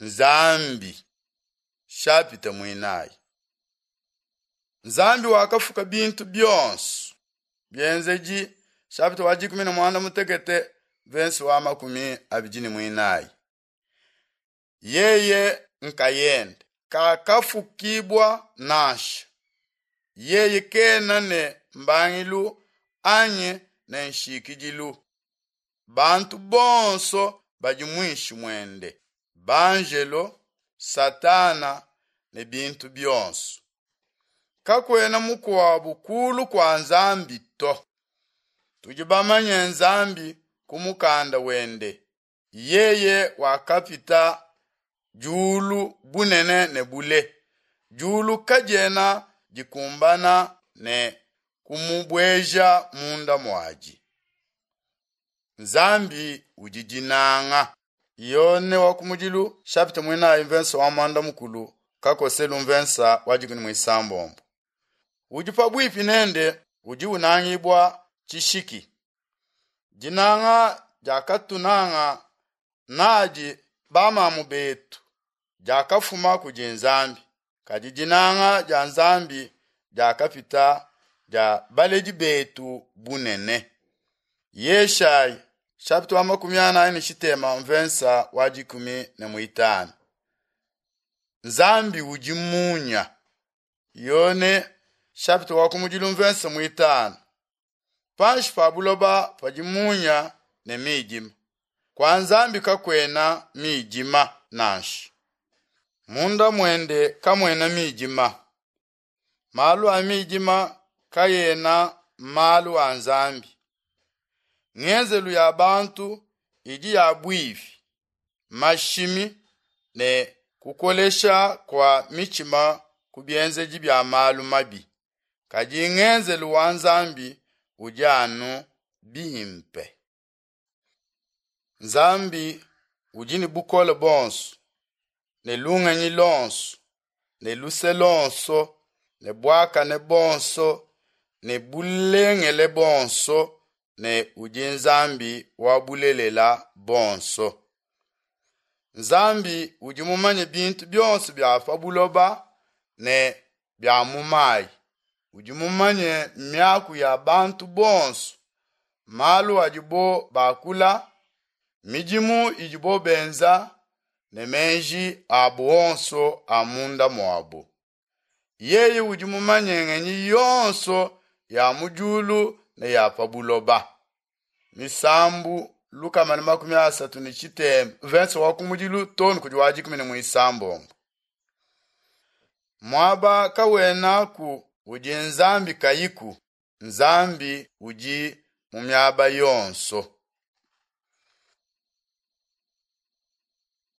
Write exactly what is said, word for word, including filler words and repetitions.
Nzambi shapita muinayi. Nzambi wakafuka bintu bionso bienzeji shapita wa dikumi na muanda mutekete vensi wa makumi abidi ne muinayi. Yeye nkayende kakafukibua nansha. Yeye kena ne mbangilu anyi ne nshikidilu. Bantu bonso badi muinshi muende, banjelo, Satana ne bintu bionso. Kakuena mukuabu kulu kua Nzambi to. Tudi bamanye Nzambi ku mukanda wende. Yeye wakapita diulu bunene ne bule. Diulu kadiena dikumbana ne kumubueja munda muadi. Nzambi udi dinanga. Yone wa kumudilu chapitre muinayi mvensa wa mwanda mukulu kakoselu mvensa wa dikumi muisambombo. Udi pabuipi nende udi unangibua tshishiki. Dinanga diakatunanga nadi bamamu betu diakafuma kudi Nzambi. Kadi dinanga dia Nzambi diakapita dia baledi betu bunene. Yeshayi chapitre wa makumi anayi ne tshitema mvensa wa dikumi ne muitanu. Nzambi udi munya. Yone chapitre wa kumudilu mvensa muitanu. Panshi pa buloba padi munya ne midima. Kwa Nzambi kakuena midima nansha. Munda muende kamuena midima. Malu a midima kayena malu a Nzambi. Ngenzelu ya bantu idi ya buivi, mashimi ne kukolesha kwa mitshima ku bienzedi bia malu mabi. Kadi ngenzelu wa Nzambi udi anu bimpe. Nzambi udi ne bukole bonso, ne lungenyi lonso, ne luse lonso, ne buakane bonso, ne bulengele bonso, ne udi Nzambi wa bulelela bonso. Nzambi udi mumanye bintu bionso bia pa buloba ne bia mu mayi. Udi mumanye miaku ya bantu bonso, malu adibo bakula, midimu idibo benza ne meji abu onso a munda muabu. Yeye udi mumanye ngenyi yonso ya mu diulu ne ya pa buloba. Misambu lukama ne makumi asatu ne tshitema verse wa kumudilu tonu kudi wa dikumi ne muisambombo. Muaba kawenaku udi Nzambi kayiku, Nzambi udi mu miaba yonso.